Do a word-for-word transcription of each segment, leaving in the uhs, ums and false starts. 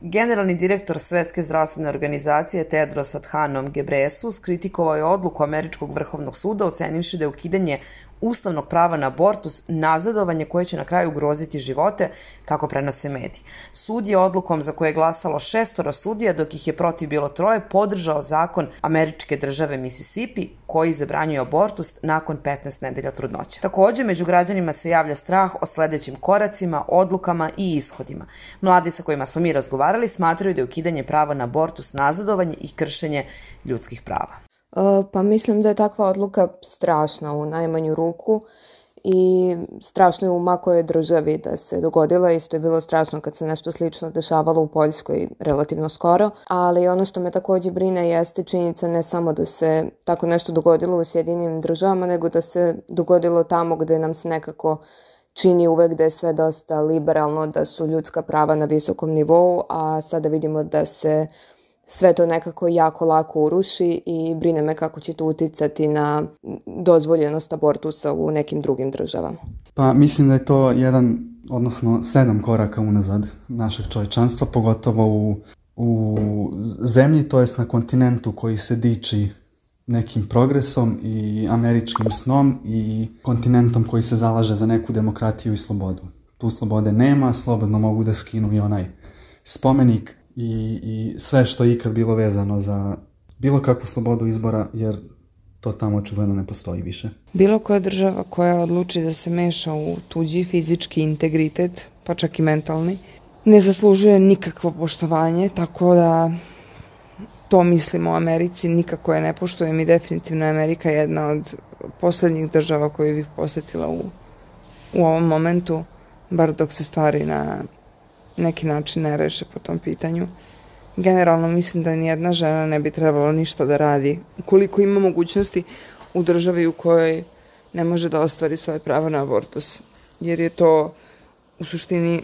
Generalni direktor Svetske zdravstvene organizacije Tedros Adhanom Ghebreyesus kritikovao je odluku Američkog vrhovnog suda ocenivši da je ukidanje ustavnog prava na abortus nazadovanje koje će na kraju ugroziti živote, kako prenose mediji. Sud je odlukom za koje je glasalo šestoro sudija, dok ih je protiv bilo troje, podržao zakon američke države Mississippi koji zabranjuje abortus nakon petnaest nedelja trudnoće. Takođe, među građanima se javlja strah o sledećim koracima, odlukama i ishodima. Mladi sa kojima smo mi razgovarali smatraju da je ukidanje prava na abortus nazadovanje i kršenje ljudskih prava. Pa mislim da je takva odluka strašna u najmanju ruku i strašno je u makojoj državi da se dogodila. Isto je bilo strašno kad se nešto slično dešavalo u Poljskoj relativno skoro, ali ono što me takođe brine jeste činjenica ne samo da se tako nešto dogodilo u Sjedinjenim državama, nego da se dogodilo tamo gde nam se nekako čini uvek da je sve dosta liberalno, da su ljudska prava na visokom nivou, a sada vidimo da se sve to nekako jako lako uruši i brine me kako će to uticati na dozvoljenost abortusa u nekim drugim državama. Pa mislim da je to jedan, odnosno sedam koraka unazad našeg čovječanstva, pogotovo u, u zemlji, to jest na kontinentu koji se diči nekim progresom i američkim snom i kontinentom koji se zalaže za neku demokratiju i slobodu. Tu slobode nema, slobodno mogu da skinu i onaj spomenik I, i sve što je ikad bilo vezano za bilo kakvu slobodu izbora, jer to tamo očigledno ne postoji više. Bilo koja država koja odluči da se meša u tuđi fizički integritet, pa čak i mentalni, ne zaslužuje nikakvo poštovanje, tako da to mislimo o Americi, nikako je ne poštujem i definitivno je Amerika jedna od poslednjih država koju bih posetila u, u ovom momentu, bar dok se stvari na neki način ne reše po tom pitanju. Generalno mislim da nijedna žena ne bi trebalo ništa da radi ukoliko ima mogućnosti u državi u kojoj ne može da ostvari svoje pravo na abortus, jer je to u suštini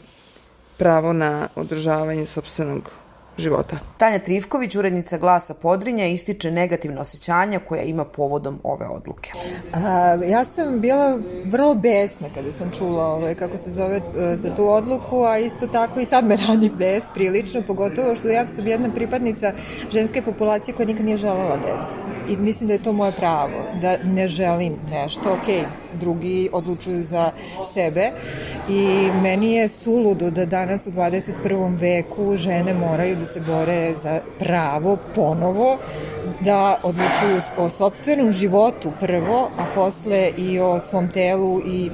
pravo na održavanje sopstvenog života. Tanja Trivković, urednica Glasa Podrinja, ističe negativne osjećanja koja ima povodom ove odluke. A, ja sam bila vrlo besna kada sam čula ovaj, kako se zove za tu odluku, a isto tako i sad me radi bes prilično, pogotovo što ja sam jedna pripadnica ženske populacije koja nikad nije želela decu. I mislim da je to moje pravo, da ne želim nešto, okej, drugi odlučuju za sebe i meni je suludo da danas u dvadeset prvom veku žene moraju da se bore za pravo ponovo da odlučuju o sopstvenom životu prvo, a posle i o svom telu i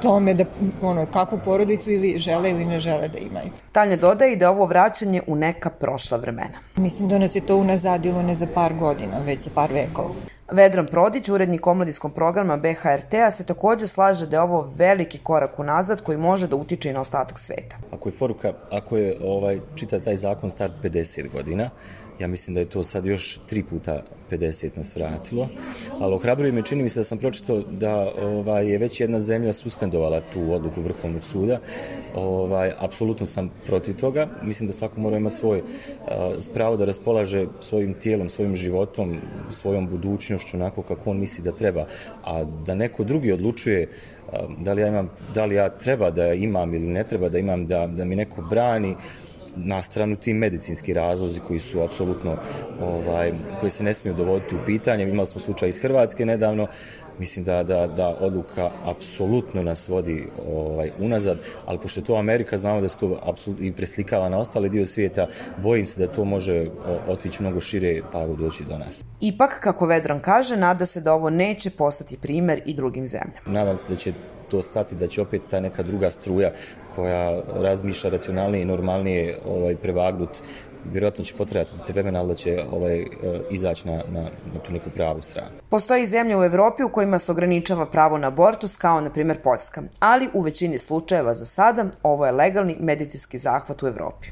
tome da ono, kakvu porodicu ili žele ili ne žele da imaju. Tanja dodaje i da ovo vraćanje u neka prošla vremena. Mislim da nas je to unazadilo ne za par godina, već za par vekova. Vedran Prodić, urednik omladinskog programa B H R T-a, se takođe slaže da je ovo veliki korak unazad koji može da utiče i na ostatak sveta. Ako je poruka, ako je ovaj, čita taj zakon star pedeset godina, ja mislim da je to sad još tri puta pedeset nas vratilo, ali ohrabruje me, čini mi se da sam pročitao da ovaj, je već jedna zemlja suspendovala tu odluku Vrhovnog suda. Ovaj, apsolutno sam protiv toga, mislim da svako mora imati svoje uh, pravo da raspolaže svojim tijelom, svojim životom, svojom budućnošću onako kako on misli da treba, a da neko drugi odlučuje uh, da li ja imam, da li ja treba da imam ili ne treba da imam, da, da mi neko brani, na stranu ti medicinski razlozi koji su apsolutno, ovaj, koji se ne smiju dovoditi u pitanje. Imali smo slučaj iz Hrvatske nedavno, mislim da, da, da odluka apsolutno nas vodi ovaj, unazad, ali pošto je to Amerika, znamo da se to apsolutno i preslikava na ostale dio svijeta, bojim se da to može otići mnogo šire pa evo doći do nas. Ipak, kako Vedran kaže, nada se da ovo neće postati primer i drugim zemljama. Nadam se da će to stati, da će opet ta neka druga struja koja razmišlja racionalnije i normalnije ovaj, prevagnut, vjerojatno će potrebati vremena, ali da će ovaj, izaći na, na, na tu neku pravu stranu. Postoji zemlje u Evropi u kojima se ograničava pravo na abortus, kao na primjer Poljska, ali u većini slučajeva za sada ovo je legalni medicinski zahvat u Evropi.